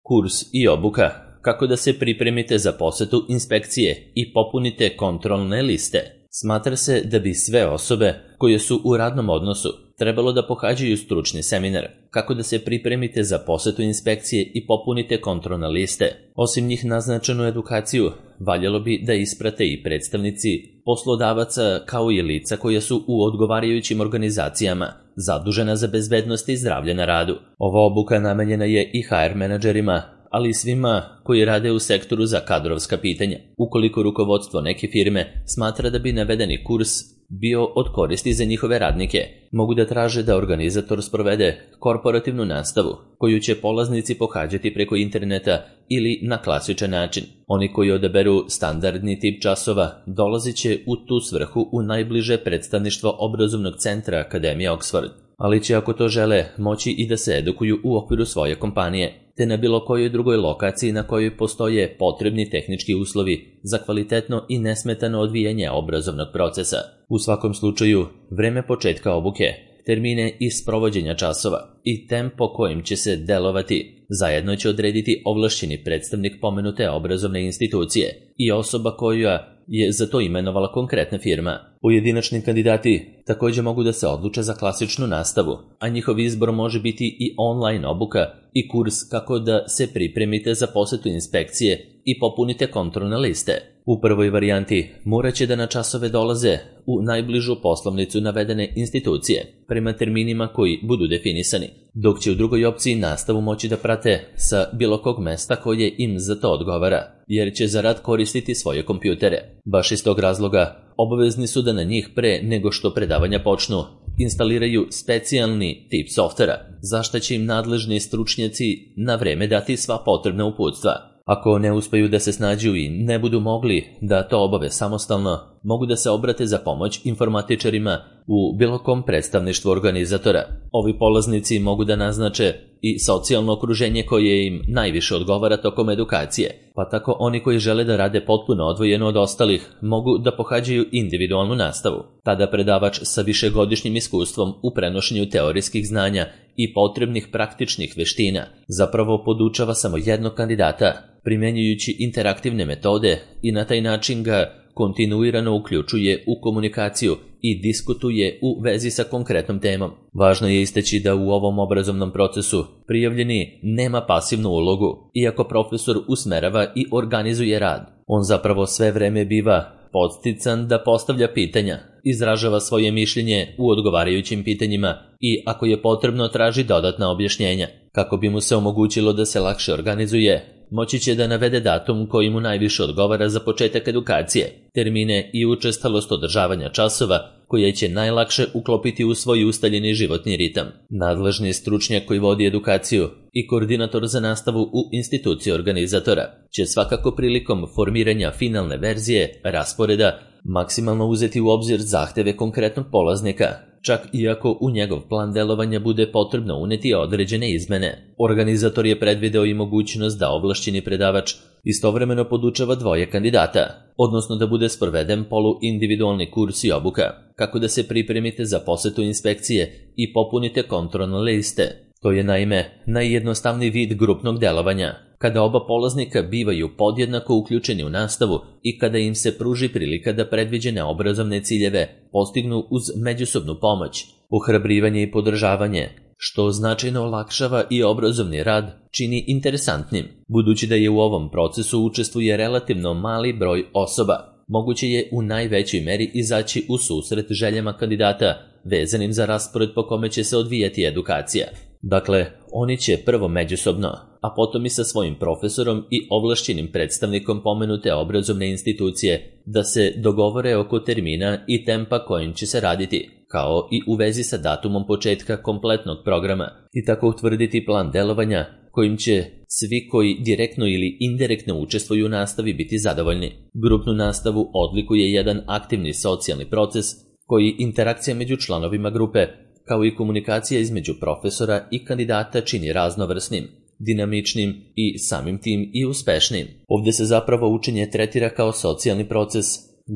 Kurs i obuka kako da se pripremite za posetu inspekcije i popunite kontrolne liste. Smatra se da bi sve osobe koje su u radnom odnosu trebalo da pohađaju stručni seminar kako da se pripremite za posetu inspekcije i popunite kontrolne liste. Osim njih naznačenu edukaciju, valjalo bi da isprate i predstavnici poslodavaca kao i lica koja su u odgovarajućim organizacijama zadužena za bezbednost i zdravlje na radu. Ova obuka namenjena je i HR menadžerima, ali i svima koji rade u sektoru za kadrovska pitanja. Ukoliko rukovodstvo neke firme smatra da bi navedeni kurs bio od koristi za njihove radnike, mogu da traže da organizator sprovede korporativnu nastavu, koju će polaznici pohađati preko interneta ili na klasičan način. Oni koji odaberu standardni tip časova dolazit će u tu svrhu u najbliže predstavništvo obrazovnog centra Akademije Oxford, ali će ako to žele moći i da se edukuju u okviru svoje kompanije, te na bilo kojoj drugoj lokaciji na kojoj postoje potrebni tehnički uslovi za kvalitetno i nesmetano odvijanje obrazovnog procesa. U svakom slučaju, vreme početka obuke, termine i sprovođenja časova i tempo kojim će se delovati zajedno će odrediti ovlašćeni predstavnik pomenute obrazovne institucije i osoba koja je za to imenovala konkretna firma. Pojedinačni kandidati također mogu da se odluče za klasičnu nastavu, a njihov izbor može biti i online obuka i kurs kako da se pripremite za posetu inspekcije i popunite kontrolne liste. U prvoj varijanti morat će da na časove dolaze u najbližu poslovnicu navedene institucije prema terminima koji budu definisani, dok će u drugoj opciji nastavu moći da prate sa bilo kog mesta koje im za to odgovara, jer će za rad koristiti svoje kompjutere. Baš iz tog razloga obavezni su da na njih pre nego što predavanja počnu instaliraju specijalni tip softvera, za što će im nadležni stručnjaci na vreme dati sva potrebna uputstva. Ako ne uspeju da se snađu i ne budu mogli da to obave samostalno, mogu da se obrate za pomoć informatičarima u bilo kom predstavništvu organizatora. Ovi polaznici mogu da naznače i socijalno okruženje koje im najviše odgovara tokom edukacije, pa tako oni koji žele da rade potpuno odvojeno od ostalih mogu da pohađaju individualnu nastavu. Tada predavač sa višegodišnjim iskustvom u prenošenju teorijskih znanja i potrebnih praktičnih veština zapravo podučava samo jednog kandidata, primjenjujući interaktivne metode i na taj način ga kontinuirano uključuje u komunikaciju i diskutuje u vezi sa konkretnom temom. Važno je istaći da u ovom obrazovnom procesu prijavljeni nema pasivnu ulogu, iako profesor usmerava i organizuje rad. On zapravo sve vreme biva podstican da postavlja pitanja, izražava svoje mišljenje u odgovarajućim pitanjima i ako je potrebno traži dodatna objašnjenja. Kako bi mu se omogućilo da se lakše organizuje, moći će da navede datum koji mu najviše odgovara za početak edukacije, termine i učestalost održavanja časova koje će najlakše uklopiti u svoj ustaljeni životni ritam. Nadležni stručnjak koji vodi edukaciju i koordinator za nastavu u instituciji organizatora će svakako prilikom formiranja finalne verzije rasporeda maksimalno uzeti u obzir zahteve konkretnog polaznika, čak i ako u njegov plan delovanja bude potrebno uneti određene izmene. Organizator je predvideo i mogućnost da ovlašćeni predavač istovremeno podučava dvoje kandidata, odnosno da bude sproveden poluindividualni kurs i obuka, kako da se pripremite za posetu inspekcije i popunite kontrolne liste. To je naime najjednostavniji vid grupnog delovanja, kada oba polaznika bivaju podjednako uključeni u nastavu i kada im se pruži prilika da predviđene obrazovne ciljeve postignu uz međusobnu pomoć, ohrabrivanje i podržavanje, što značajno olakšava i obrazovni rad čini interesantnim. Budući da je u ovom procesu učestvuje relativno mali broj osoba, moguće je u najvećoj meri izaći u susret željama kandidata vezanim za raspored po kome će se odvijati edukacija. Dakle, oni će prvo međusobno, a potom i sa svojim profesorom i ovlašćenim predstavnikom pomenute obrazovne institucije da se dogovore oko termina i tempa kojim će se raditi, kao i u vezi sa datumom početka kompletnog programa i tako utvrditi plan delovanja kojim će svi koji direktno ili indirektno učestvuju u nastavi biti zadovoljni. Grupnu nastavu odlikuje jedan aktivni socijalni proces koji interakcija među članovima grupe kao i komunikacija između profesora i kandidata čini raznovrsnim, dinamičnim i samim tim i uspešnim. Ovdje se zapravo učenje tretira kao socijalni proces.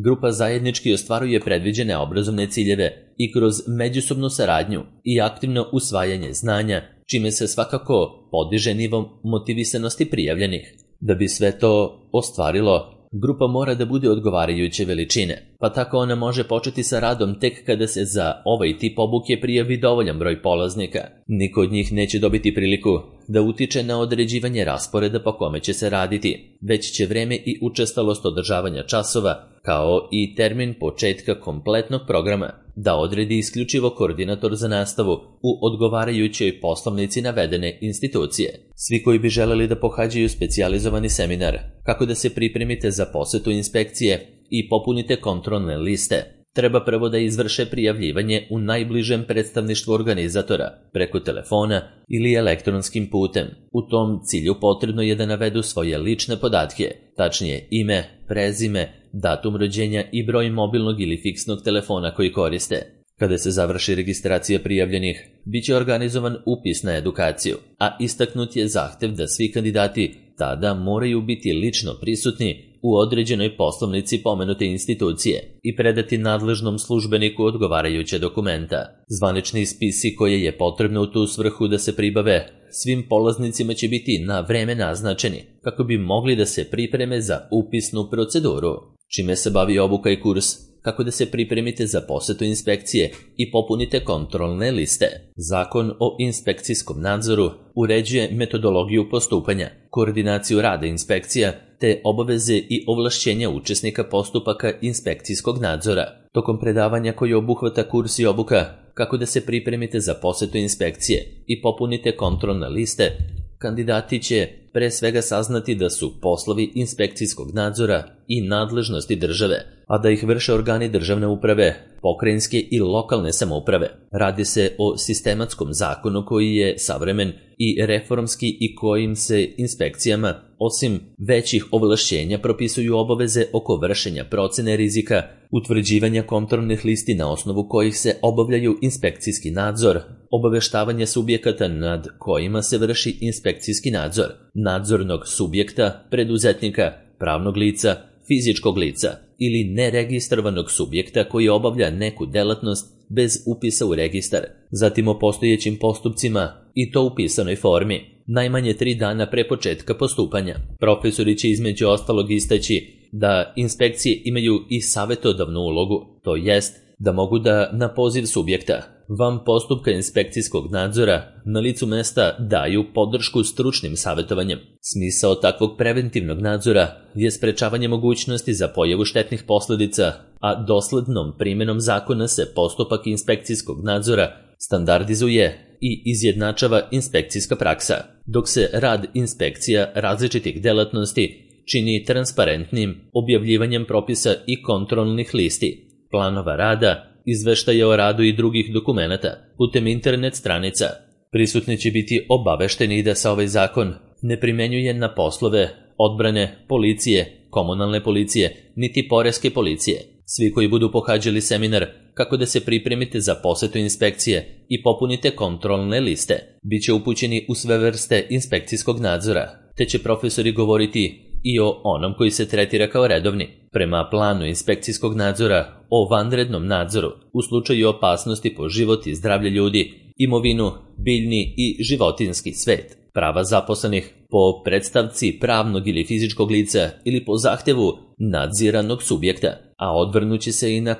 Grupa zajednički ostvaruje predviđene obrazovne ciljeve i kroz međusobnu saradnju i aktivno usvajanje znanja čime se svakako podiže nivo motivisanosti prijavljenih. Da bi sve to ostvarilo, grupa mora da bude odgovarajuće veličine, pa tako ona može početi sa radom tek kada se za ovaj tip obuke prijavi dovoljan broj polaznika. Niko od njih neće dobiti priliku da utiče na određivanje rasporeda po kome će se raditi, već će vreme i učestalost održavanja časova, kao i termin početka kompletnog programa, da odredi isključivo koordinator za nastavu u odgovarajućoj poslovnici navedene institucije. Svi koji bi želeli da pohađaju specijalizovani seminar kako da se pripremite za posetu inspekcije i popunite kontrolne liste, treba prvo da izvrše prijavljivanje u najbližem predstavništvu organizatora, preko telefona ili elektronskim putem. U tom cilju potrebno je da navedu svoje lične podatke, tačnije ime, prezime, datum rođenja i broj mobilnog ili fiksnog telefona koji koriste. Kada se završi registracija prijavljenih, bit će organizovan upis na edukaciju, a istaknut je zahtev da svi kandidati tada moraju biti lično prisutni u određenoj poslovnici pomenute institucije i predati nadležnom službeniku odgovarajuće dokumenta. Zvanični spisi koje je potrebno u tu svrhu da se pribave svim polaznicima će biti na vreme naznačeni, kako bi mogli da se pripreme za upisnu proceduru. Čime se bavi obuka i kurs? Kako da se pripremite za posetu inspekcije i popunite kontrolne liste. Zakon o inspekcijskom nadzoru uređuje metodologiju postupanja, koordinaciju rada inspekcija, te obaveze i ovlašćenja učesnika postupaka inspekcijskog nadzora. Tokom predavanja koji obuhvata kurs i obuka, kako da se pripremite za posetu inspekcije i popunite kontrolne liste, kandidati će pre svega saznati da su poslovi inspekcijskog nadzora i nadležnosti države, a da ih vrše organi državne uprave, pokrajinske i lokalne samouprave. Radi se o sistematskom zakonu koji je savremen i reformski i kojim se inspekcijama, osim većih ovlašćenja, propisuju obaveze oko vršenja procene rizika, utvrđivanja kontrolnih listi na osnovu kojih se obavljaju inspekcijski nadzor, obaveštavanje subjekata nad kojima se vrši inspekcijski nadzor, nadzornog subjekta, preduzetnika, pravnog lica, fizičkog lica ili neregistrovanog subjekta koji obavlja neku delatnost bez upisa u registar, zatim o postojećim postupcima i to u pisanoj formi, najmanje 3 dana pre početka postupanja. Profesori će između ostalog istaći da inspekcije imaju i savjetodavnu ulogu, to jest da mogu da na poziv subjekta van postupka inspekcijskog nadzora na licu mesta daju podršku stručnim savjetovanjem. Smisao takvog preventivnog nadzora je sprečavanje mogućnosti za pojavu štetnih posljedica, a doslednom primjenom zakona se postupak inspekcijskog nadzora standardizuje i izjednačava inspekcijska praksa, dok se rad inspekcija različitih delatnosti čini transparentnim objavljivanjem propisa i kontrolnih listi, planova rada, izveštaja o radu i drugih dokumenata putem internet stranica. Prisutni će biti obavešteni da se ovaj zakon ne primenjuje na poslove odbrane, policije, komunalne policije, niti poreske policije. Svi koji budu pohađali seminar kako da se pripremite za posetu inspekcije i popunite kontrolne liste, bit će upućeni u sve vrste inspekcijskog nadzora, te će profesori govoriti i o onom koji se tretira kao redovni. Prema planu inspekcijskog nadzora o vanrednom nadzoru u slučaju opasnosti po život i zdravlje ljudi, imovinu, biljni i životinjski svet, prava zaposlenih po predstavci pravnog ili fizičkog lica ili po zahtevu nadziranog subjekta, a odvrnuće se i na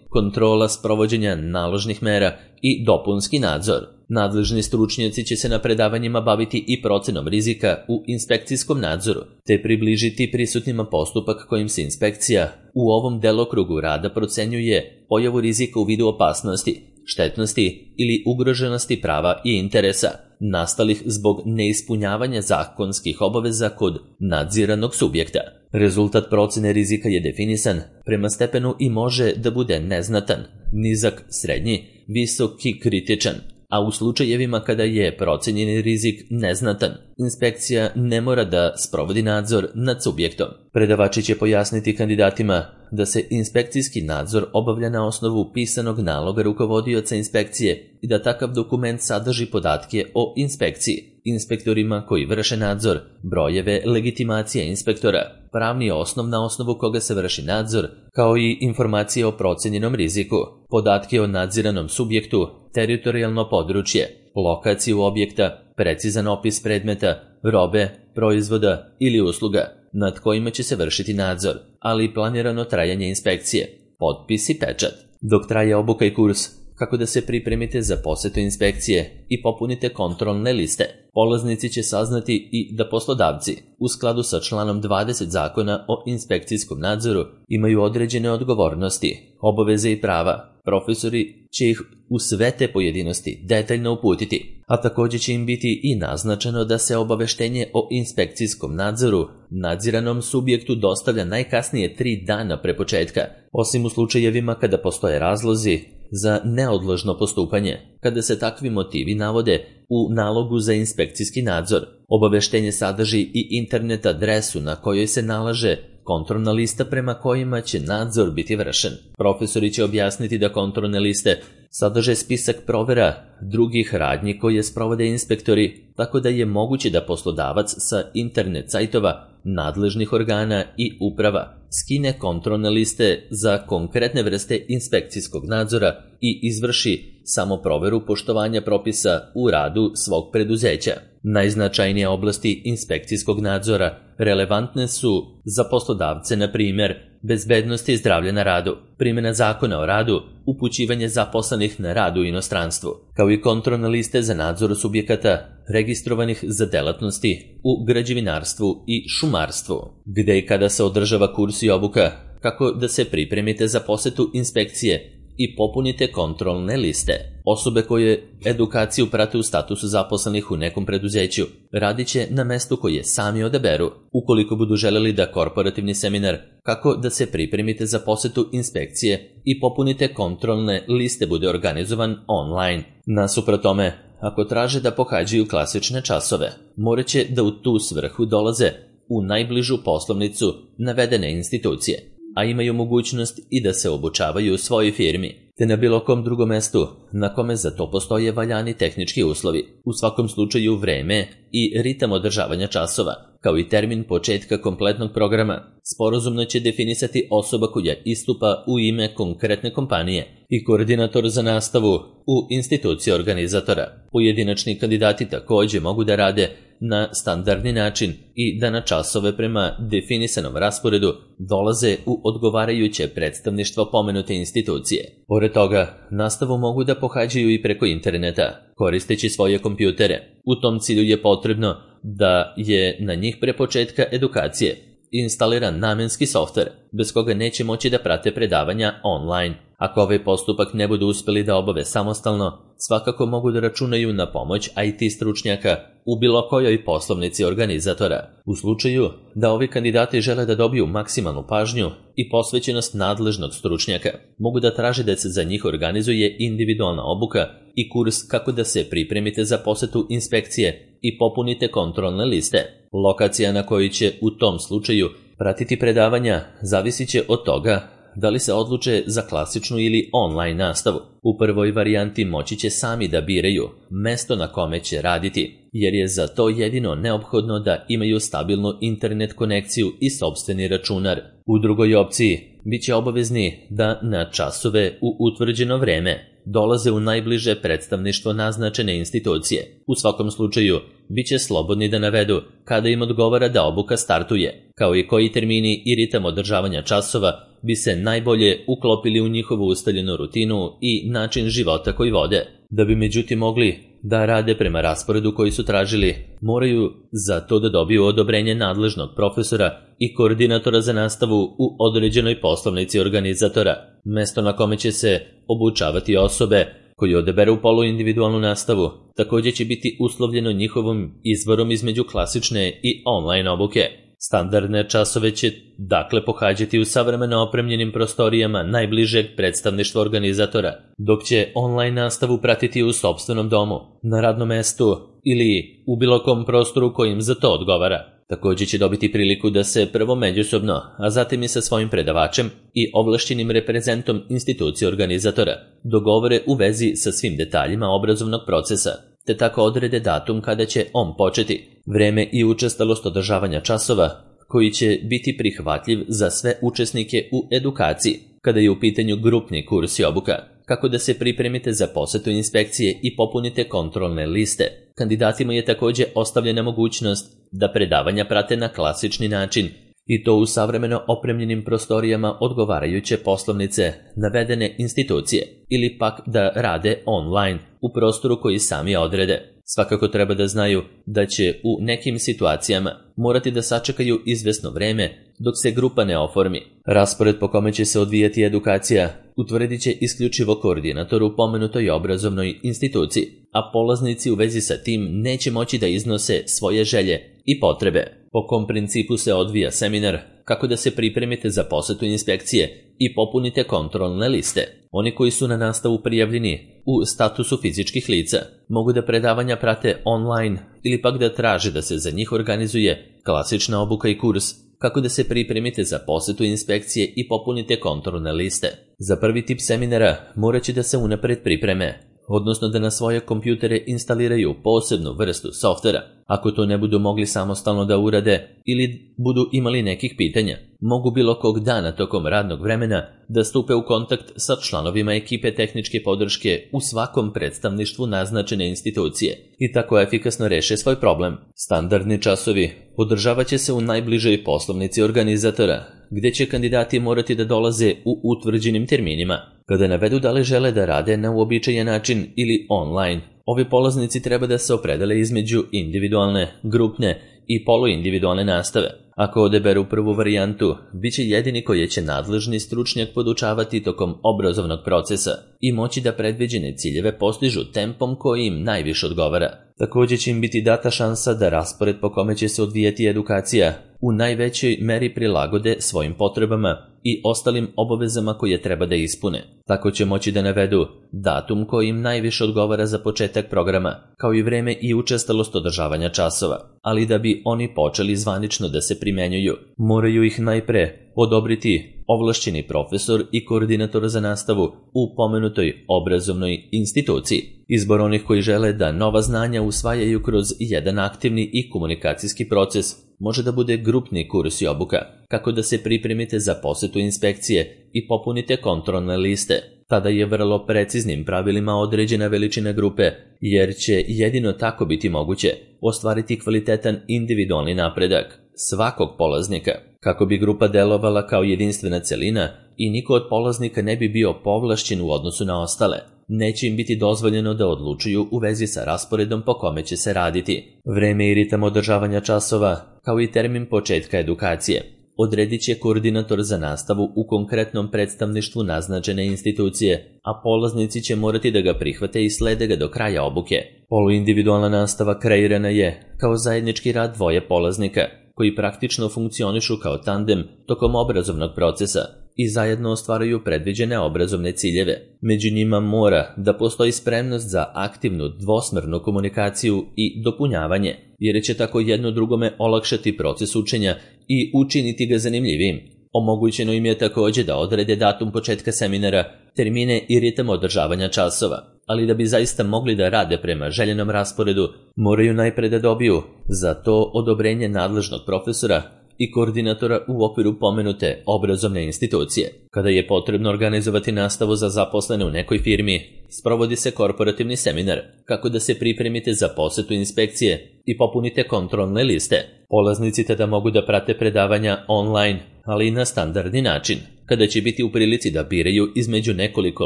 kontrola sprovođenja naložnih mera i dopunski nadzor. Nadležni stručnjaci će se na predavanjima baviti i procenom rizika u inspekcijskom nadzoru, te približiti prisutnima postupak kojim se inspekcija u ovom delokrugu rada procenjuje pojavu rizika u vidu opasnosti, štetnosti ili ugroženosti prava i interesa, nastalih zbog neispunjavanja zakonskih obaveza kod nadziranog subjekta. Rezultat procene rizika je definisan prema stepenu i može da bude neznatan, nizak, srednji, visok i kritičan, a u slučajevima kada je procenjeni rizik neznatan, inspekcija ne mora da sprovodi nadzor nad subjektom. Predavači će pojasniti kandidatima da se inspekcijski nadzor obavlja na osnovu pisanog naloga rukovodioca inspekcije i da takav dokument sadrži podatke o inspekciji, inspektorima koji vrše nadzor, brojeve legitimacije inspektora, pravni osnov na osnovu koga se vrši nadzor, kao i informacije o procenjenom riziku, podatke o nadziranom subjektu, teritorijalno područje, lokaciju objekta, precizan opis predmeta, robe, proizvoda ili usluga nad kojima će se vršiti nadzor, ali i planirano trajanje inspekcije, potpis i pečat. Dok traje obuka i kurs, kako da se pripremite za posetu inspekcije i popunite kontrolne liste, polaznici će saznati i da poslodavci, u skladu sa članom 20 Zakona o inspekcijskom nadzoru, imaju određene odgovornosti, obaveze i prava. Profesori će ih u sve te pojedinosti detaljno uputiti, a također će im biti i naznačeno da se obaveštenje o inspekcijskom nadzoru nadziranom subjektu dostavlja najkasnije 3 dana pre početka, osim u slučajevima kada postoje razlozi za neodložno postupanje, kada se takvi motivi navode u nalogu za inspekcijski nadzor. Obaveštenje sadrži i internet adresu na kojoj se nalaže kontrolna lista prema kojima će nadzor biti vršen. Profesori će objasniti da kontrolne liste sadrže spisak provera drugih radnji koje sprovode inspektori, tako da je moguće da poslodavac sa internet sajtova nadležnih organa i uprava skine kontrolne liste za konkretne vrste inspekcijskog nadzora i izvrši samo proveru poštovanja propisa u radu svog preduzeća. Najznačajnije oblasti inspekcijskog nadzora relevantne su za poslodavce, na primjer, bezbednost i zdravlje na radu, primjena zakona o radu, upućivanje zaposlenih na rad u inostranstvu, kao i kontrolne liste za nadzor subjekata registrovanih za delatnosti u građevinarstvu i šumarstvu, gde i kada se održava kurs i obuka, kako da se pripremite za posetu inspekcije i popunite kontrolne liste. Osobe koje edukaciju prate u statusu zaposlenih u nekom preduzeću radit će na mestu koje sami odaberu. Ukoliko budu želeli da korporativni seminar kako da se pripremite za posetu inspekcije i popunite kontrolne liste bude organizovan online. Nasuprot tome, ako traže da pohađaju klasične časove, morat će da u tu svrhu dolaze u najbližu poslovnicu navedene institucije, a imaju mogućnost i da se obučavaju u svojoj firmi, te na bilo kom drugom mestu na kome za to postoje valjani tehnički uslovi. U svakom slučaju vreme i ritam održavanja časova, kao i termin početka kompletnog programa, sporazumno će definisati osoba koja istupa u ime konkretne kompanije i koordinator za nastavu u instituciji organizatora. Pojedinačni kandidati također mogu da rade na standardni način i da na časove prema definisanom rasporedu dolaze u odgovarajuće predstavništvo pomenute institucije. Pored toga, nastavu mogu da pohađaju i preko interneta, koristeći svoje kompjutere. U tom cilju je potrebno da je na njih pre početka edukacije instaliran namenski softver, bez koga neće moći da prate predavanja online. Ako ovaj postupak ne budu uspjeli da obave samostalno, svakako mogu da računaju na pomoć IT stručnjaka u bilo kojoj poslovnici organizatora. U slučaju da ovi kandidati žele da dobiju maksimalnu pažnju i posvećenost nadležnog stručnjaka, mogu da traže da se za njih organizuje individualna obuka i kurs kako da se pripremite za posetu inspekcije i popunite kontrolne liste. Lokacija na kojoj će u tom slučaju pratiti predavanja zavisit će od toga da li se odluče za klasičnu ili online nastavu. U prvoj varijanti moći će sami da biraju mesto na kome će raditi, jer je za to jedino neophodno da imaju stabilnu internet konekciju i sopstveni računar. U drugoj opciji bit će obavezni da na časove u utvrđeno vreme dolaze u najbliže predstavništvo naznačene institucije. U svakom slučaju, bit će slobodni da navedu kada im odgovara da obuka startuje, kao i koji termini i ritam održavanja časova bi se najbolje uklopili u njihovu ustaljenu rutinu i način života koji vode. Da bi međutim mogli da rade prema rasporedu koji su tražili, moraju za to da dobiju odobrenje nadležnog profesora i koordinatora za nastavu u određenoj poslovnici organizatora. Mesto na kome će se obučavati osobe koji odaberu poluindividualnu nastavu također će biti uslovljeno njihovom izborom između klasične i online obuke. Standardne časove će dakle pohađati u savremeno opremljenim prostorijama najbližeg predstavništva organizatora, dok će online nastavu pratiti u sopstvenom domu, na radnom mestu ili u bilo kom prostoru kojim za to odgovara. Također će dobiti priliku da se prvo međusobno, a zatim i sa svojim predavačem i ovlašćenim reprezentom institucije organizatora dogovore u vezi sa svim detaljima obrazovnog procesa, te tako odrede datum kada će on početi, vreme i učestalost održavanja časova koji će biti prihvatljiv za sve učesnike u edukaciji kada je u pitanju grupni kurs i obuka. kako da se pripremite za posetu inspekcije i popunite kontrolne liste. Kandidatima je također ostavljena mogućnost da predavanja prate na klasični način, i to u savremeno opremljenim prostorijama odgovarajuće poslovnice navedene institucije, ili pak da rade online u prostoru koji sami odrede. Svakako treba da znaju da će u nekim situacijama morati da sačekaju izvesno vreme dok se grupa ne oformi. Raspored po kome će se odvijati edukacija utvrdit će isključivo koordinator u pomenutoj obrazovnoj instituciji, a polaznici u vezi sa tim neće moći da iznose svoje želje i potrebe. Po kom principu se odvija seminar, kako da se pripremite za posetu inspekcije i popunite kontrolne liste. Oni koji su na nastavu prijavljeni u statusu fizičkih lica mogu da predavanja prate online ili pak da traže da se za njih organizuje klasična obuka i kurs kako da se pripremite za posetu inspekcije i popunite kontrolne liste. Za prvi tip seminara morat će da se unapred pripreme, odnosno da na svoje kompjutere instaliraju posebnu vrstu softvera. Ako to ne budu mogli samostalno da urade ili budu imali nekih pitanja, mogu bilo kog dana tokom radnog vremena da stupe u kontakt sa članovima ekipe tehničke podrške u svakom predstavništvu naznačene institucije i tako efikasno reše svoj problem. Standardni časovi održavat će se u najbližoj poslovnici organizatora, gdje će kandidati morati da dolaze u utvrđenim terminima. Kada navedu da li žele da rade na uobičajen način ili online, ovi polaznici treba da se opredele između individualne, grupne i poluindividualne nastave. Ako odeberu prvu varijantu, bit će jedini koji će nadležni stručnjak podučavati tokom obrazovnog procesa i moći da predviđene ciljeve postižu tempom koji im najviše odgovara. Također će im biti data šansa da raspored po kome će se odvijati edukacija u najvećoj meri prilagode svojim potrebama i ostalim obavezama koje treba da ispune. Tako će moći da navedu datum koji im najviše odgovara za početak programa, kao i vreme i učestalost održavanja časova. Ali da bi oni počeli zvanično da se primenjuju, moraju ih najpre odobriti ovlašćeni profesor i koordinator za nastavu u pomenutoj obrazovnoj instituciji. Izbor onih koji žele da nova znanja usvajaju kroz jedan aktivni i komunikacijski proces može da bude grupni kurs i obuka, kako da se pripremite za posetu inspekcije i popunite kontrolne liste. Tada je vrlo preciznim pravilima određena veličina grupe, jer će jedino tako biti moguće ostvariti kvalitetan individualni napredak svakog polaznika, kako bi grupa delovala kao jedinstvena celina i niko od polaznika ne bi bio povlašćen u odnosu na ostale. Neće im biti dozvoljeno da odlučuju u vezi sa rasporedom po kome će se raditi. Vreme i ritam održavanja časova, kao i termin početka edukacije, odredit će koordinator za nastavu u konkretnom predstavništvu naznačene institucije, a polaznici će morati da ga prihvate i slede ga do kraja obuke. Poluindividualna nastava kreirana je kao zajednički rad dvoje polaznika, koji praktično funkcionišu kao tandem tokom obrazovnog procesa i zajedno ostvaruju predviđene obrazovne ciljeve. Među njima mora da postoji spremnost za aktivnu dvosmernu komunikaciju i dopunjavanje, jer će tako jedno drugome olakšati proces učenja i učiniti ga zanimljivim. Omogućeno im je također da odrede datum početka seminara, termine i ritam održavanja časova, ali da bi zaista mogli da rade prema željenom rasporedu, moraju najpre da dobiju za to odobrenje nadležnog profesora i koordinatora u okviru pomenute obrazovne institucije. Kada je potrebno organizovati nastavu za zaposlene u nekoj firmi, sprovodi se korporativni seminar, kako da se pripremite za posetu inspekcije i popunite kontrolne liste. Polaznici tada mogu da prate predavanja online, ali i na standardni način, kada će biti u prilici da biraju između nekoliko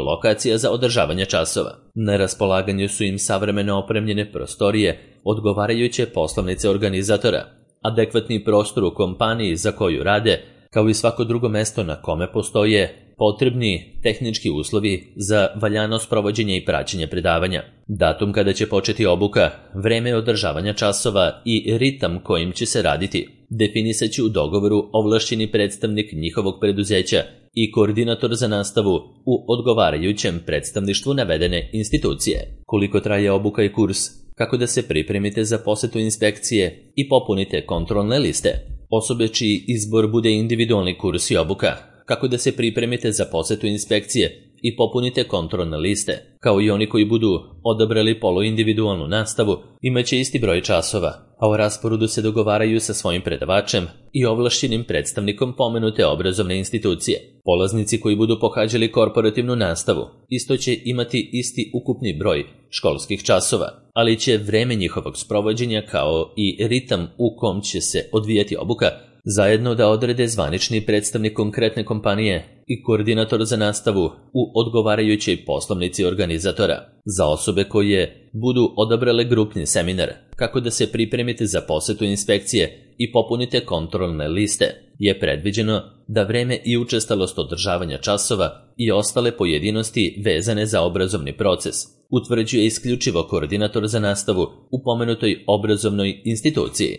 lokacija za održavanje časova. Na raspolaganju su im savremeno opremljene prostorije, odgovarajuće poslovnice organizatora, adekvatni prostor u kompaniji za koju rade, kao i svako drugo mesto na kome postoje potrebni tehnički uslovi za valjano sprovođenje i praćenje predavanja. Datum kada će početi obuka, vreme održavanja časova i ritam kojim će se raditi definisat će u dogovoru ovlašćeni predstavnik njihovog preduzeća i koordinator za nastavu u odgovarajućem predstavništvu navedene institucije. Koliko traje obuka i kurs, kako da se pripremite za posetu inspekcije i popunite kontrolne liste. Osobe čiji izbor bude individualni kurs i obuka, kako da se pripremite za posetu inspekcije i popunite kontrolne liste. Kao i oni koji budu odabrali poluindividualnu nastavu, imaće isti broj časova, a o rasporedu se dogovaraju sa svojim predavačem i ovlašćenim predstavnikom pomenute obrazovne institucije. Polaznici koji budu pohađali korporativnu nastavu isto će imati isti ukupni broj školskih časova, ali će vreme njihovog sprovođenja kao i ritam u kom će se odvijati obuka zajedno da odrede zvanični predstavnik konkretne kompanije i koordinator za nastavu u odgovarajućoj poslovnici organizatora. Za osobe koje budu odabrale grupni seminar kako da se pripremite za posetu inspekcije i popunite kontrolne liste, je predviđeno da vreme i učestalost održavanja časova i ostale pojedinosti vezane za obrazovni proces utvrđuje isključivo koordinator za nastavu u pomenutoj obrazovnoj instituciji.